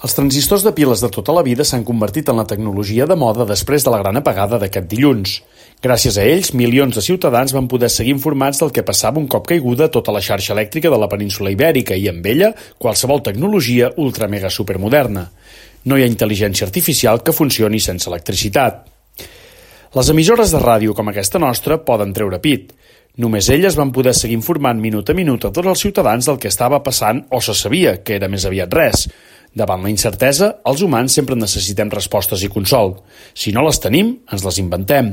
Els transistors de piles de tota la vida s'han convertit en la tecnologia de moda després de la gran apagada d'aquest dilluns. Gràcies a ells, milions de ciutadans van poder seguir informats del que passava un cop caiguda tota la xarxa elèctrica de la península Ibèrica i, amb ella, qualsevol tecnologia ultra-mega supermoderna. No hi ha intel·ligència artificial que funcioni sense electricitat. Les emissores de ràdio com aquesta nostra poden treure pit. Només elles van poder seguir informant minut a minut a tots els ciutadans del que estava passant o se sabia, que era més aviat res. Davant la incertesa, els humans sempre necessitem respostes i consol. Si no les tenim, ens les inventem.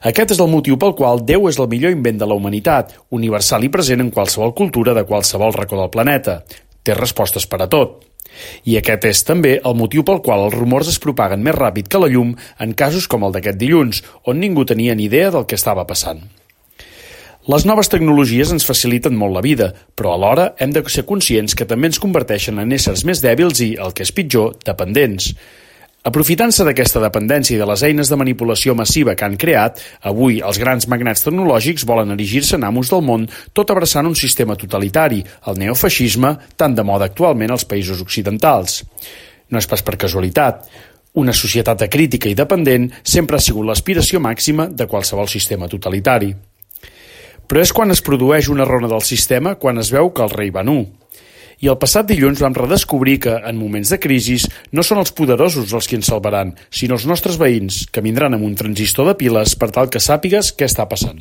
Aquest és el motiu pel qual Déu és el millor invent de la humanitat, universal i present en qualsevol cultura de qualsevol racó del planeta. Té respostes per a tot. I aquest és també el motiu pel qual els rumors es propaguen més ràpid que la llum en casos com el d'aquest dilluns, on ningú tenia ni idea del que estava passant. Les noves tecnologies ens faciliten molt la vida, però alhora hem de ser conscients que també ens converteixen en éssers més dèbils i, el que és pitjor, dependents. Aprofitant-se d'aquesta dependència i de les eines de manipulació massiva que han creat, avui els grans magnats tecnològics volen erigir-se en amos del món, tot abraçant un sistema totalitari, el neofeixisme, tan de moda actualment als països occidentals. No és pas per casualitat. Una societat acrítica i dependent sempre ha sigut l'aspiració màxima de qualsevol sistema totalitari. Però és quan es produeix una ronda del sistema quan es veu que el rei va nu. I el passat dilluns vam redescobrir que, en moments de crisi, no són els poderosos els qui ens salvaran, sinó els nostres veïns, que vindran amb un transistor de piles per tal que sàpigues què està passant.